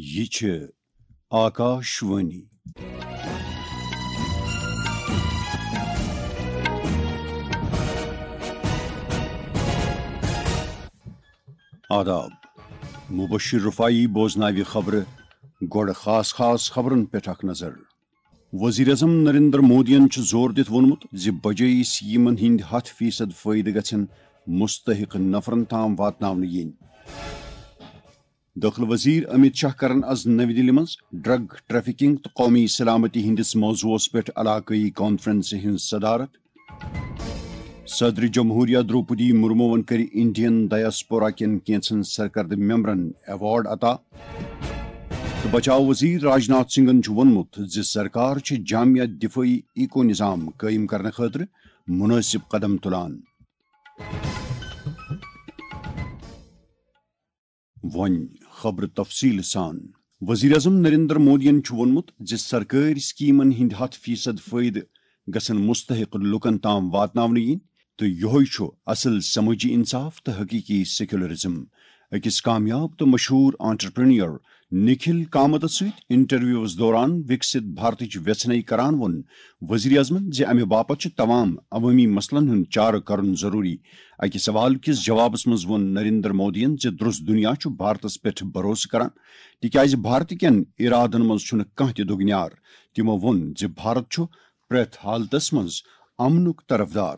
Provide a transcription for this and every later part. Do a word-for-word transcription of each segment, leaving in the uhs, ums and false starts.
یہِ چھِ آکاش وانی۔ آداب۔ مبشر رفاعی بوزناوِ خبرٕ۔ گۄڈٕ خاص خاص خبرن پٮ۪ٹھ اکھ نظر۔ وزیر اعظم نریندر مودیَن چھُ زور دِتھ ووٚنمُت زِ بجٲیی سکیمن ہٕنٛدۍ ہَتھ فیصد فٲیدٕ گژھن مستحق نفرن تام واتناونہٕ یِنۍ۔ دٲخلہٕ وزیر امیت شاہ کرن از نَوِ دِلہِ منٛز ڈرگ ٹریفکنگ تہٕ قومی سلامتی ہٕنٛدِس موضوعس پٮ۪ٹھ علاقٲیی کانفرنسہِ ہٕنٛز صدارت۔ صدر جمہوریہ دروپدی مرموون کٔرۍ انڈین ڈایاسپورا کٮ۪ن کینٛژن سرکردٕ ممبرن ایوارڈ عطا۔ تہٕ بچاو وزیر راجناتھ سنگھن چھُ ووٚنمُت زِ سرکار چھِ جامع دفٲعی ایکو نظام قٲیِم کرنہٕ خٲطرٕ مُنٲسِب قدم تُلان۔ وۄنۍ خبرٕ تفصیٖل سان۔ وزیر اعظم نریندر مودیَن چھُ ووٚنمُت زِ سرکٲرۍ سکیمن ہٕنٛدۍ ہَتھ فیصد فٲیدٕ گژھن مستحق لوٗکَن تام واتناونہٕ یِنۍ تہٕ یِہوٚے چھُ اصل سمٲجی انصاف تہٕ حقیقی سیکولرزم۔ أکِس کامیاب تہٕ مشہوٗر انٹرپرینیور نکھل کامتَس سۭتۍ انٹرویوَس دوران وکسِت بھارتٕچ ویژھنَے کران ووٚن وزیر اعظمَن زِ امہِ باپتھ چھُ تمام عوٲمی مسلن ہُنٛد چارٕ کرُن ضروٗری۔ اَکہِ سوال کِس جوابس منٛز ووٚن نریندر مودیَن زِ درست دُنیا چھُ بھارتس پٮ۪ٹھ بھروسہٕ کران، تِکیازِ بھارت کٮ۪ن ارادن منٛز چھُنہٕ کانٛہہ تہِ دُگنیار۔ تِمو ووٚن زِ بھارت چھُ پرٛٮ۪تھ حالتس منٛز امنُک طرفدار۔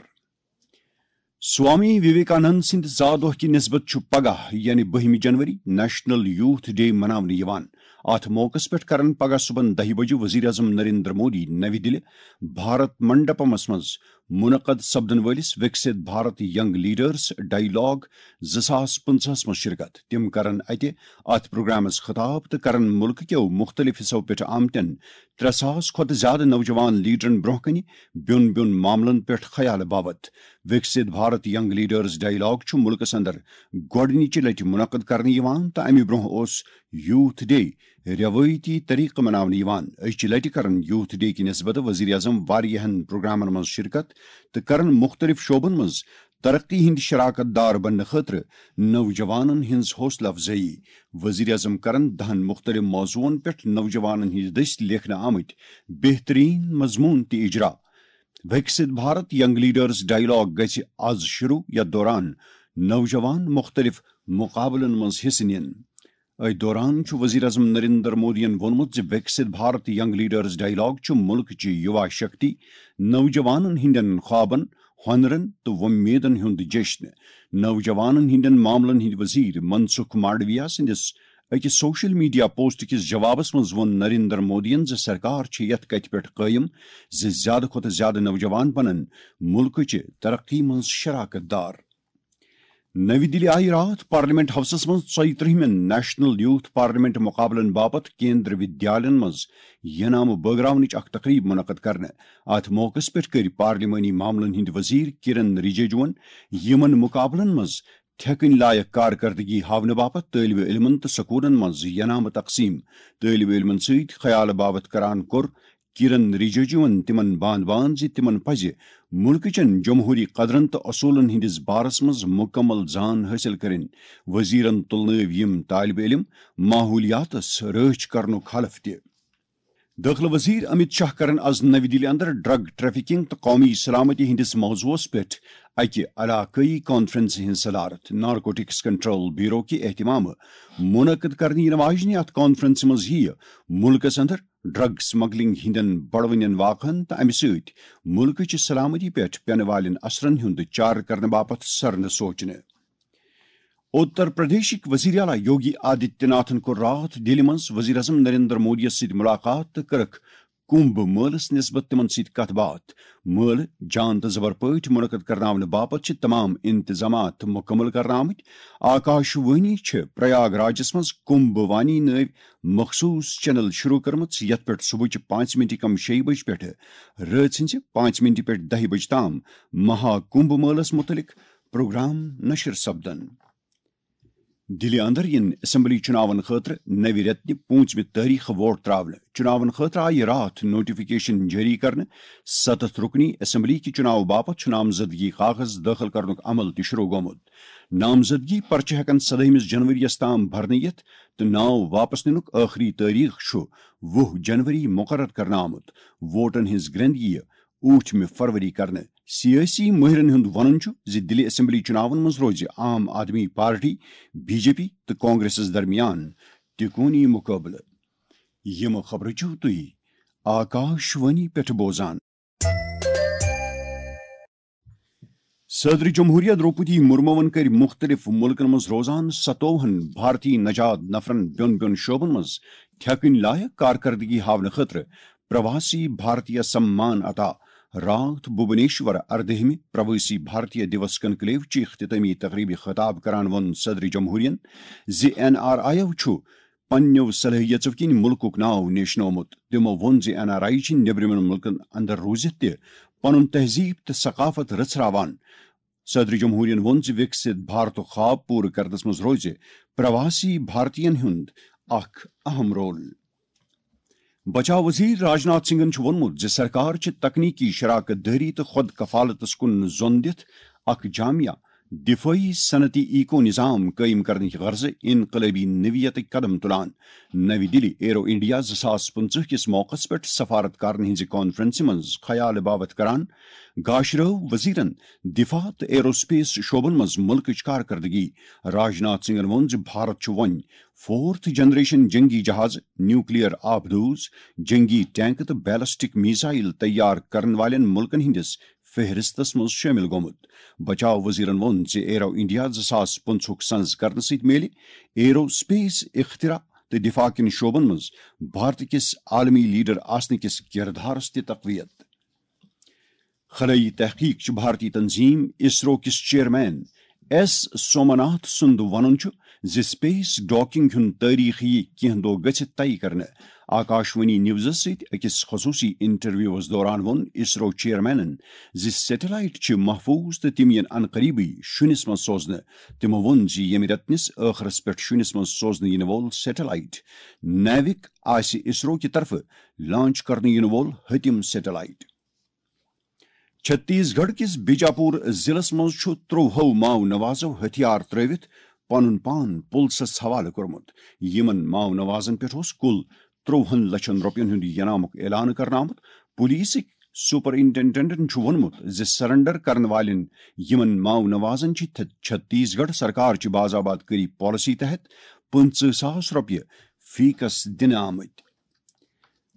سوامی وویکانند سٕنٛدِ زا دۄہ کہِ نسبت چھُ پگاہ، یعنی بٔہمہِ جنوری، نیشنل یوتھ ڈے مناونہٕ یِوان۔ اتھ موقعس پٮ۪ٹھ کرن پگاہ صبحن دَہہِ بجہِ وزیر اعظم نریندر مودی نَوِ دِلہِ بھارت منڈپمس منٛز منعقد سپدن وٲلِس وکسِت بھارت ینگ لیڈرز ڈائیلاگ زٕ ساس پٕنٛژٕہَس منٛز شرکت۔ تِم کرن اتہِ اتھ پروگرامس خطاب تہٕ کرن مُلکہٕ کیو مُختٔلِف حصو پٮ۪ٹھ آمتٮ۪ن ترٛےٚ ساس کھۄتہٕ زیادٕ نوجوان لیڈرن برونٛہہ کنہِ بیوٚن بیوٚن معاملن پٮ۪ٹھ خیال باوت۔ وکسِت بھارت ینگ لیڈرز ڈائیلاگ چھُ مُلکس اندر گۄڈٕنِچہِ لٹہِ منعقد کرنہٕ یِوان تہٕ امہِ برونٛہہ اوس یوتھ ڈے رٮ۪وٲیتی طریقہٕ مناونہٕ یِوان۔ أزچہِ لٹہِ کرن یوتھ ڈے کہِ نسبت وزیر اعظم واریاہن پروگرامن منٛز شرکت تہٕ کرن مُختٔلِف شعبن منٛز ترقی ہٕنٛدۍ شراکت دار بننہٕ خٲطرٕ نوجوانن ہٕنٛز حوصلہٕ افزٲیی۔ وزیر اعظم کرن دَہَن مُختٔلِف موضوعن پٮ۪ٹھ نوجوانن ہٕنٛدِ دٔسۍ لیکھنہٕ آمٕتۍ بہترین مضموٗن تہِ اجرا۔ وکسِت بھارت ینگ لیڈرز ڈائیلاگ گژھِ از شروع، یتھ دوران نوجوان مُختٔلِف مُقابلن منٛز حصہٕ نِن۔ أتھۍ دوران چھُ وزیر اعظم نریندر مودیَن ووٚنمُت زِ وکسِت بھارت ینگ لیڈرز ڈائیلاگ چھُ مُلکٕچہِ یُوا شکتی، نوجوانن ہٕنٛدٮ۪ن خوابن، ہۄنرن تہٕ وۄمیدن ہُنٛد جشن۔ نوجوانن ہٕنٛدٮ۪ن معاملن ہٕنٛدۍ وزیر منسکھ مانڈویا سٕنٛدِس أکِس سوشل میڈیا پوسٹ کِس جوابس منٛز ووٚن نریندر مودیَن زِ سرکار چھِ یتھ کتھِ پٮ۪ٹھ قٲیِم زِ زیادٕ کھۄتہٕ زیادٕ نوجوان بنن مُلکٕچہِ ترقی منٛز شراکت دار۔ نَوِ دِلہِ آیہِ راتھ پارلیمنٹ ہاوسس منٛز ژۄیہِ ترٛہمٮ۪ن نیشنل یوتھ پارلیمنٹ مُقابلن باپتھ کیندر ودیالین منٛز ینامہٕ بٲگراونٕچ اکھ تقریب منعقد کرنہٕ۔ اتھ موقعس پٮ۪ٹھ کٔرۍ پارلیمانی معاملن ہٕنٛدۍ وزیر کرن رجیجوَن یِمن مُقابلن منٛز تھٮ۪کٕنۍ لایق کارکردگی ہاونہٕ باپتھ طٲلبہِ علمن تہٕ سکوٗلن منٛز ینامہٕ تقسیٖم۔ طٲلبہِ علمن سۭتۍ خیال باوتھ کران کوٚر کرن رجیجوَن تِمن باند باند زِ تِمن پزِ مُلکٕچن جمہوٗری قدرن تہٕ اصوٗلن ہٕنٛدِس بارس منٛز مُکمل زان حٲصِل کرٕنۍ۔ وزیرن تُلنٲوۍ یِم طٲلبہِ علم ماحولیاتس رٲچھ کرنُک حلف تہِ۔ دٲخلہٕ وزیر امیت شاہ کرن از نَوِ دِلہِ اندر ڈرگ ٹریفکنگ تہٕ قومی سلامتی ہٕنٛدِس موضوعس پٮ۪ٹھ اکہِ علاقٲیی کانفرنسہِ ہٕنٛز صدارت۔ نارکوٹکس کنٹرول بیورو کہِ اہتمامہٕ منعقد کرنہٕ یِنہٕ واجنہِ اتھ کانفرنسہِ منٛز یِیہِ مُلکس اندر ڈرگ سمگلنگ ہٕنٛدٮ۪ن بڑوٕنٮ۪ن واقعن تہٕ امہِ سۭتۍ مُلکٕچہِ سلامتی پٮ۪ٹھ پٮ۪نہٕ والٮ۪ن اثرن ہُنٛد چارٕ کرنہٕ باپتھ سرنہٕ سوچنہٕ۔ اُتر پردیشٕکۍ وزیر اعلیٰ یوگی آدتیہ ناتھن کوٚر راتھ دِلہِ منٛز وزیر اعظم نریندر مودیَس سۭتۍ مُلاقات تہٕ کٔرٕکھ کُمبھ مٲلَس نسبت تِمَن سۭتۍ کَتھ باتھ۔ مٲلہٕ جان تہٕ زبر پٲٹھۍ منعقد کرناونہٕ باپتھ چھِ تمام انتظامات مُکمل کرنہٕ آمٕتۍ۔ آکاش وانی چھِ پریاگ راجَس منٛز کُمبھ وانی نٲوۍ مخصوٗص چینل شروع کٔرمٕژ، یَتھ پٮ۪ٹھ صبحٕچہِ پانٛژِ منٹہِ کم شیٚیہِ بجہِ پٮ۪ٹھٕ رٲژ ہٕنٛزِ پانٛژِ منٹہِ پٮ۪ٹھ دَہہِ بجہِ تام مہا کُمبھ مٲلَس مُتعلِق پروگرام نشر سپدن۔ دِلہِ اندر یِن اسمبلی چُناون خٲطرٕ نوِ رٮ۪تہٕ پوٗنٛژمہِ تٲریخہٕ ووٹ ترٛاونہٕ۔ چُناون خٲطرٕ آیہِ راتھ نوٹیفکیشن جٲری کرنہٕ۔ ستتھ رُکنی اسمبلی کہِ چُناو باپتھ چھُ نامزدگی کاغذ دٲخل کرنُک عمل تہِ شروع گوٚمُت۔ نامزدگی پرچہٕ ہٮ۪کن سدٲہمِس جنوری یَس تام بھرنہٕ یِتھ تہٕ ناو واپس نِنُک ٲخری تٲریخ چھُ وُہ جنوری مقرر کرنہٕ آمُت۔ ووٹن ہٕنٛز گرٛنٛد یِیہِ ٲٹھمہِ فروری کرنہٕ۔ سیٲسی مٲہرن ہُنٛد وَنُن چھُ زِ دِلہِ اسمبلی چُناون منٛز روزِ عام آدمی پارٹی، بی جے پی تہٕ کانگریسس درمیان تِکونی مُقابلہٕ۔ یِم خبرٕ چھِو تُہۍ آکاش وانی پٮ۪ٹھ بوزان۔ صدر جمہوریہ درٛوپدی مُرموَن کٔرۍ مُختٔلِف مُلکَن منٛز روزان ستووُہَن بھارتی نژاد نفرَن بیوٚن بیوٚن شعبَن منٛز ٹھیکٕنۍ لایق کارکردگی ہاونہٕ خٲطرٕ پرواسی بھارتیہ سمان عطا۔ راتھ بھوبنیشور اردہمہِ پرواسی بھارتیہ دیوس کنکلیو چہِ اختتامی تقریبہِ خطاب کران ووٚن صدر جمہوریہن زِ این آر آیو چھُ پننیو صلٲحیژو کِنۍ مُلکُک ناو نیشنومُت۔ تِمو ووٚن زِ این آر آی چھِ نیبرِمٮ۪ن مُلکن اندر روٗزِتھ تہِ پنُن تہذیب تہٕ ثقافت رژھراوان۔ صدر جمہوریہن ووٚن زِ وِکسِت بھارتُک خواب پوٗرٕ کرنس منٛز روزِ پرواسی بھارتین ہُنٛد اکھ اہم رول۔ بچاو وزیر راجناتھ سنگھن چھُ ووٚنمُت زِ سرکار چھِ تکنیکی شراکت دٲری تہٕ خود کفالتس کُن زۄن دِتھ اکھ جامع دفٲعی صنعتی ایکو نظام قٲیِم کرنٕچ غرضہٕ انقلٲبی نوعیتٕکۍ قدم تُلان۔ نَوِ دِلہِ ایرو انڈیا زٕ ساس پٕنٛژٕہ کِس موقعس پٮ۪ٹھ سفارت کارن ہٕنٛزِ کانفرنسہِ منٛز خیال باوت کران گاشرٲو وزیرن دفاع تہٕ ایرو سپیس شعبن منٛز مُلکٕچ کارکردگی۔ راجناتھ سنگھن ووٚن زِ بھارت چھُ وۄنۍ فورتھ جنریشن جنگی جہاز، نیوکلیئر آبدوز، جنگی ٹینک تہٕ بیلسٹک میزائل تیار کرن والٮ۪ن مُلکن ہٕنٛدِس فہرستس منٛز شٲمِل گوٚمُت۔ بچاو وزیرن ووٚن زِ ایرو انڈیا زٕ ساس پٕنٛژٕہُک سنز کرنہٕ سۭتۍ میلہِ ایرو سپیس اختراع تہٕ دفاع کٮ۪ن شعبن منٛز بھارت کِس عالمی لیڈر آسنہٕ کِس کردارس تہِ تقویت۔ خلٲیی تحقیق چہِ بھارتی تنظیم اسرو کِس چیئرمین ایس سومناتھ سُنٛد وَنُن چھُ زِ سپیس ڈاکنگ ہُنٛد تٲریخ یِیہِ کینٛہہ دۄہ گٔژھِتھ طے کرنہٕ۔ آکاشوانی نیوزس سۭتۍ أکِس خصوٗصی انٹرویوس دوران ووٚن اسرو چیئرمینن زِ سیٹلائٹ چھِ محفوظ تہٕ تِم یِن عنقریبٕے شُنِس منٛز سوزنہٕ۔ تِمو ووٚن زِ ییٚمہِ رٮ۪تنِس ٲخرس پٮ۪ٹھ شُنِس منٛز سوزنہٕ یِنہٕ وول سیٹلائٹ نیوک آسہِ اسرو کہِ طرفہٕ لانچ کرنہٕ یِنہٕ وول ۂتِم سیٹلائٹ۔ چھتیس گڑھ کِس بیجاپور ضلعس منٛز چھُ ترٛوہو ماؤ نوازو ہتھیار ترٲوِتھ پنُن پان پُلسس حوالہٕ کوٚرمُت۔ یِمن ماؤ نوازن پٮ۪ٹھ اوس کُل ترٛوہن لچھن رۄپین ہُنٛد ینامُک اعلان کرنہٕ آمُت۔ پولیسٕکۍ سپرنٹنڈنٹن چھُ ووٚنمُت زِ سرنڈر کرن والٮ۪ن یِمن ماؤ نوازن چھِ تھ-، چھتیس گڑھ سرکار چہِ باز آباد کٲری پالیسی تحت پٕنٛژٕہ ساس رۄپیہِ فیکس دِنہٕ آمٕتۍ۔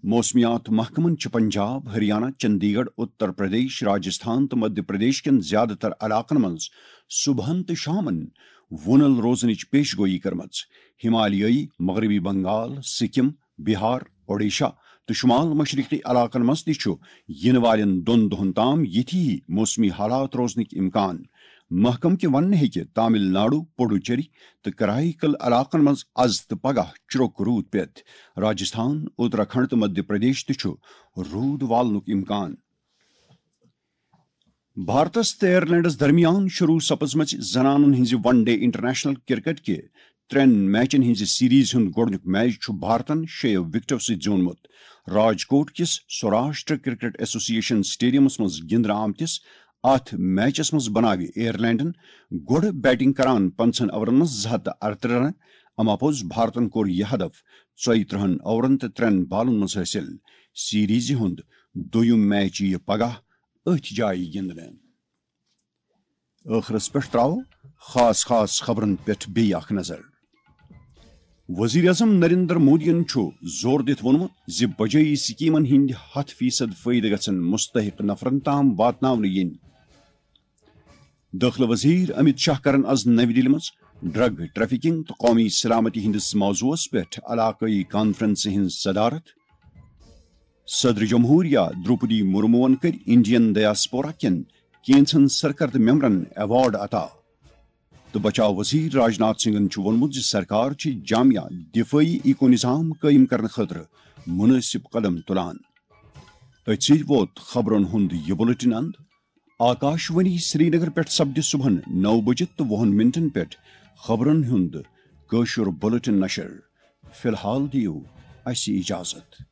موسمیات محکمن چھِ پنجاب، ہریانہ، چندی گڑھ، اتر پردیش، راجستھان تہٕ مدھیہ پردیش کٮ۪ن زیادٕ تر علاقن منٛز صبحن تہٕ شامن وُنل روزنٕچ پیش گویی کٔرمٕژ۔ ہمالیٲیی، مغربی بنگال، سکم، بہار، اوڈیشہ تہٕ شمال مشرقی علاقن منٛز تہِ چھُ یِنہٕ والٮ۪ن دۄن دۄہن تام یِتھی ہی موسمی حالات روزنٕکۍ امکان۔ محکمہٕ کہِ وننہٕ ہیٚکہِ تامل ناڈو، پڈوچیری تہٕ کرائیکل علاقن منٛز از تہٕ پگاہ چرٛوک روٗد پٮ۪تھ۔ راجستھان، اتراکھنڈ تہٕ مدھیہ پردیش تہِ چھُ روٗد والنُک امکان۔ بھارتس تہٕ آیرلینڈس درمیان شروع سپزمٕژ زنانن ہٕنٛزِ ون ڈے انٹرنیشنل کرکٹ کہِ ترٛٮ۪ن میچن ہٕنٛزِ سیریز ہُنٛد گۄڈٕنیُک میچ چھُ بھارتن شیٚیو وِکٹو سۭتۍ زیوٗنمُت۔ راجکوٹ کِس سوراشٹر کرکٹ ایسوسی ایشن سٹیڈیمس منٛز گِنٛدنہٕ آمتِس اتھ میچس منٛز بناوِ آیرلینڈن گۄڈٕ بیٹنگ کران پنٛژاہن اورن منٛز زٕ ہتھ تہٕ ارترٕہ رن۔ اما پوٚز بھارتن کوٚر یہِ ہدف ژۄیہِ ترٕہن اورن تہٕ ترٛٮ۪ن بالن منٛز حٲصِل۔ سیریزِ ہُنٛد دوٚیُم میچ یِیہِ پگاہ أتھۍ جایہِ گِنٛدنہٕ۔ ٲخرس پٮ۪ٹھ ترٛاوو خاص خاص خبرن پٮ۪ٹھ بیٚیہِ اکھ نظر۔ وزیر اعظم نریندر مودیَن چھُ زور دِتھ ووٚنمُت زِ بجٲیی سکیمن ہٕنٛدۍ ہتھ فیصد فٲیدٕ گژھن مستحق نفرن تام واتناونہٕ یِنۍ۔ دٲخلہٕ وزیر امت شاہ کرن از نَوِ دِلہِ منٛز ڈرگ ٹریفکنگ تہٕ قومی سلامتی ہٕنٛدِس موضوعس پٮ۪ٹھ علاقٲیی کانفرنسہِ ہٕنٛز صدارت۔ صدر جمہوریہ درٛوپدی مرموَن کٔرۍ انڈین ڈیاسپورا کٮ۪ن کینژن سرکردٕ ممبرن ایوارڈ عطا۔ تہٕ بچاو وزیر راجناتھ سنگھن چھُ ووٚنمُت زِ سرکار چھِ جامع دفٲعی ایکو نظام قٲیِم کرنہٕ خٲطرٕ مُنٲسِب قدم تُلان۔ أتھۍ سۭتۍ ووت خبرن ہُنٛد یہِ بُلٹن اند۔ آکاشوانی سرینگر پٮ۪ٹھ سپدِ صبحن نَو بجہِ تہٕ وُہن منٹن پٮ۪ٹھ خبرن ہُنٛد کٲشُر بلیٹن نشر۔ فی الحال دِیِو اَسہِ اجازت۔